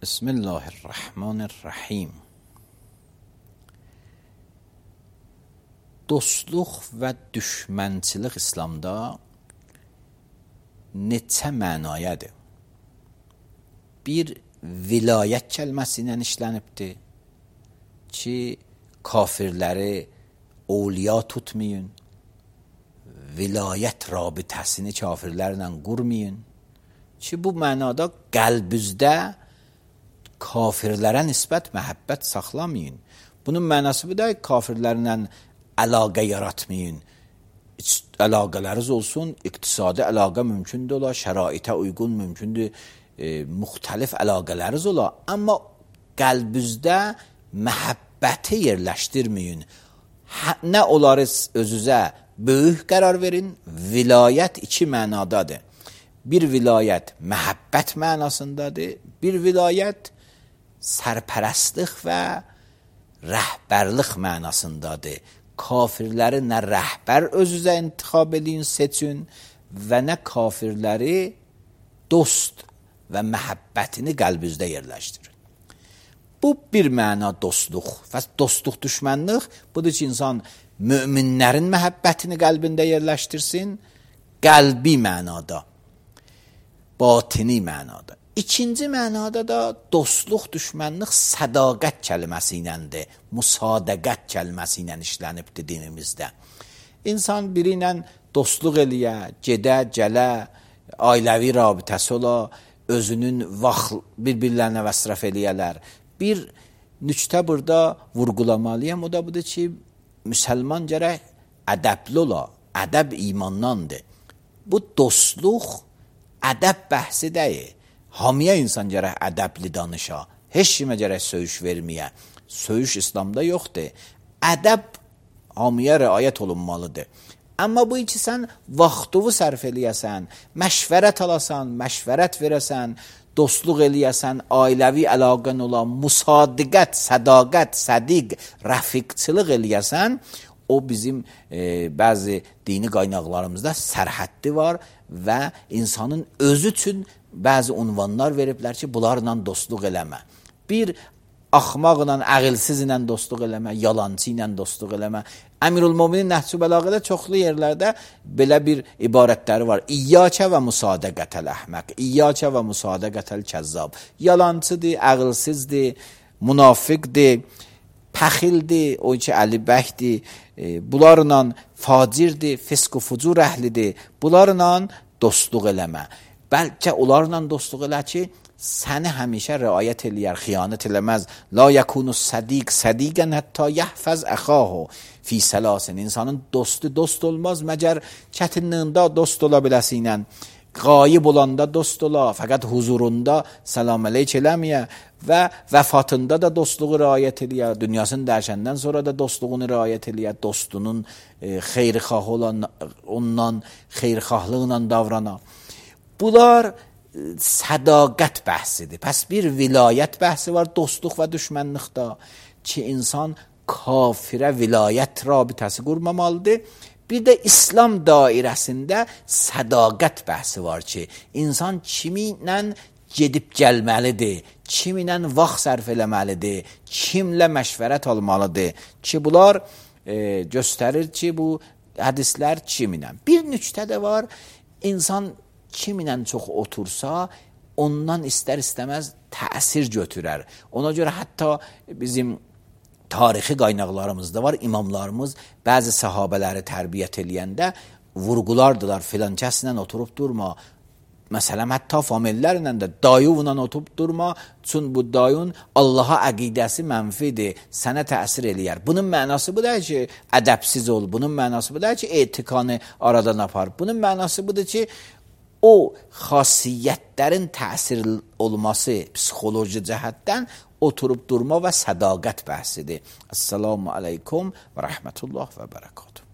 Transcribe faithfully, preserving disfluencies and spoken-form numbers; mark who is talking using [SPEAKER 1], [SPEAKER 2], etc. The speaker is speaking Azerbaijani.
[SPEAKER 1] Bismillahirrahmanirrahim. Dostluq və düşmənçilik İslamda neçə mənayadır? Bir, vilayət kəlməsi ilə işlənibdir ki, kafirləri ovliya tutmayın, vilayət rabitəsini kafirlərlə qurmayın ki, bu mənada qəlbüzdə kafirlərə nisbət məhəbbət saxlamayın. Bunun mənası bu da kafirlərlə əlaqə yaratmayın. Əlaqələriniz olsun, iqtisadi əlaqə mümkündür ola, şəraitə uyğun mümkündür, e, müxtəlif əlaqələriniz ola. Amma qəlbüzdə məhəbbəti yerləşdirməyin. Hə, nə olarız özünüzə böyük qərar verin, vilayət iki mənadadır. Bir vilayət məhəbbət mənasındadır, bir vilayət sərpərəstlik və rəhbərlik mənasındadır. Kafirləri nə rəhbər özünüzə intixab edin, seçin və nə kafirləri dost və məhəbbətini qəlbinizdə yerləşdirin. Bu bir məna dostluq. Və dostluq düşmənlik budur ki, insan möminlərin məhəbbətini qəlbində yerləşdirsin, qəlbi mənada, batini mənada. İkinci mənada da dostluq, düşmənlik sədaqət kəlməsi iləndir, musadəqət kəlməsi ilə işlənibdir dinimizdə. İnsan biri ilə dostluq eləyə, gedə, gələ, ailəvi rabitəsi ola, özünün vaxt bir-birlərinə vəsrəf eləyələr. Bir nüktə burada vurğulamalıyam, o da budur ki, müsəlman gərək ədəbli ola, ədəb imandandır. Bu dostluq ədəb bəhsi deyil. Hamiyə insan gərək ədəbli danışa, heç kimə gərək söyüş verməyə. Söyüş İslamda yoxdur. Ədəb hamiyə riayət olunmalıdır. Amma bu iki sən vaxtını sərf eləyəsən, məşvərət alasan, məşvərət verəsən, dostluq eləyəsən, ailəvi əlaqən olan, musadiqət, sədaqət, sədiq, rəfiqçılıq eləyəsən, o bizim e, bəzi dini qaynaqlarımızda sərhəddi var və insanın özü üçün bəzi unvanlar veriblər ki, bunlarla dostluq eləmə. Bir, axmaqla, əqilsizlə dostluq eləmə, yalancı ilə dostluq eləmə. Əmirül-Möminin Nəhcü Bəlağədə çoxlu yerlərdə belə bir ibarətləri var. İyyəkə və musadəqətəl əhməq, İyyəkə və musadəqətəl kəzzab. Yalancıdır, əqilsizdir, münafiqdir, pəxildir, o ki, əlibəkdir, e, bunlarla facirdir, fisq-u fucur əhlidir, bunlarla dostluq eləmə. Bəlkə onlarla dostluq elə ki, səni həmişə riayət eləyər, xiyanət eləməz. La yəkunu sədiq, sədiqən hətta yəhfəz əxahu fi səlasin. İnsanın dostu dost olmaz, məgər çətinliyində dost ola biləsinə. Qayib olanda dost ola, fəqət huzurunda salam əleyk eləməyə və vəfatında da dostluğu riayət eləyə, dünyasını dərşəndən sonra da dostluğunu riayət eləyə, dostunun e, xeyrxah olan, ondan xeyrxahlıqla davrana. Bunlar sədaqət bəhsidir. Pəs bir vilayət bəhsi var dostluq və düşmənlikdə ki, insan kafirə vilayət rabitəsi qurmamalıdır. Bir də İslam dairəsində sədaqət bəhsi var ki, insan kimi ilə gedib gəlməlidir, kimi ilə vaxt sərf eləməlidir, kimlə məşvərət almalıdır ki, bunlar e, göstərir ki, bu hədislər kimi ilə. Bir nüktə də var, insan kim ilə çox otursa, ondan istər-istəməz təsir götürər. Ona görə hətta bizim tarixi qaynaqlarımızda var, imamlarımız bəzi səhabələri tərbiyyət eləyəndə vurğulardılar, filan kəslə oturub durma. Məsələn, hətta famillərlə də dayıvla oturub durma, çünki bu dayın Allaha əqidəsi mənfidir, sənə təsir eləyər. Bunun mənası bu da ki, ədəbsiz ol, bunun mənası bu da ki, etikanı aradan apar. Bunun mənası budur ki, o xasiyyətlərin təsir olması psixoloji cəhətdən oturub durma və sədaqət bəhsidir. Esselamu aleykum və rəhmətullah və bərəkatuhu.